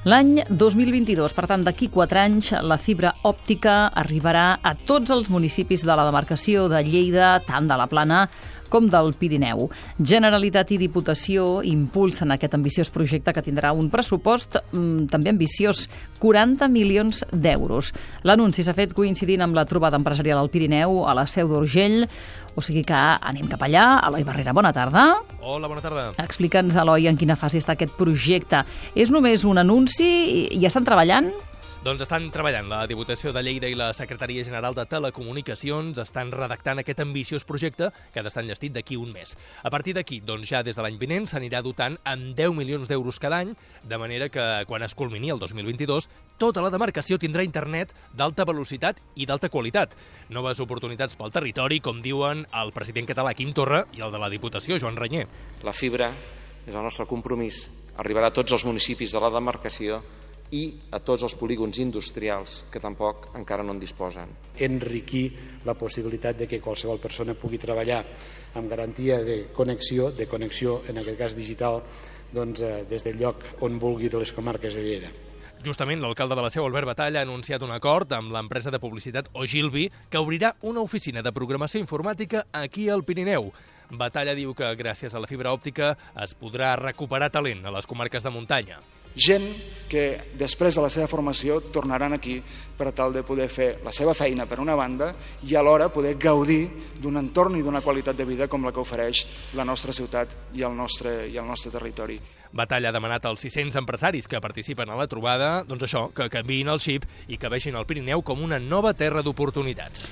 L'any 2022, per tant, d'aquí 4 anys, la fibra òptica arribarà a tots els municipis de la demarcació de Lleida, tant de la Plana com del Pirineu. Generalitat i Diputació impulsen aquest ambiciós projecte que tindrà un pressupost també ambiciós, 40 milions d'euros. L'anunci s'ha fet coincidint amb la trobada empresarial al Pirineu a la Seu d'Urgell, o sigui que anem cap allà. Eloi Barrera, bona tarda. Hola, bona tarda. Explica'ns, Eloi, en quina fase està aquest projecte. És només un anunci i ja estan treballant? Doncs estan treballant. La Diputació de Lleida i la Secretaria General de Telecomunicacions estan redactant aquest ambiciós projecte que ha d'estar enllestit d'aquí un mes. A partir d'aquí, doncs ja des de l'any vinent s'anirà dotant amb 10 milions d'euros cada any, de manera que quan es culmini el 2022, tota la demarcació tindrà internet d'alta velocitat i d'alta qualitat. Noves oportunitats pel territori, com diuen el president català Quim Torra i el de la Diputació, Joan Reñer. La fibra és el nostre compromís. Arribarà a tots els municipis de la demarcació i a tots els polígons industrials que tampoc encara no en disposen. Enriquir la possibilitat de que qualsevol persona pugui treballar amb garantia de connexió en aquest cas digital, doncs, des del lloc on vulgui de les comarques de Lleida. Justament, l'alcalde de la Seu, Albert Batalla, ha anunciat un acord amb l'empresa de publicitat Ogilvy que obrirà una oficina de programació informàtica aquí al Pirineu. Batalla diu que gràcies a la fibra òptica es podrà recuperar talent a les comarques de muntanya. Gent que després de la seva formació tornaran aquí per tal de poder fer la seva feina per una banda i alhora poder gaudir d'un entorn i d'una qualitat de vida com la que ofereix la nostra ciutat i el nostre territori. Batalla ha demanat als 600 empresaris que participen a la trobada, doncs això, que canviïn el xip i que vegin el Pirineu com una nova terra d'oportunitats.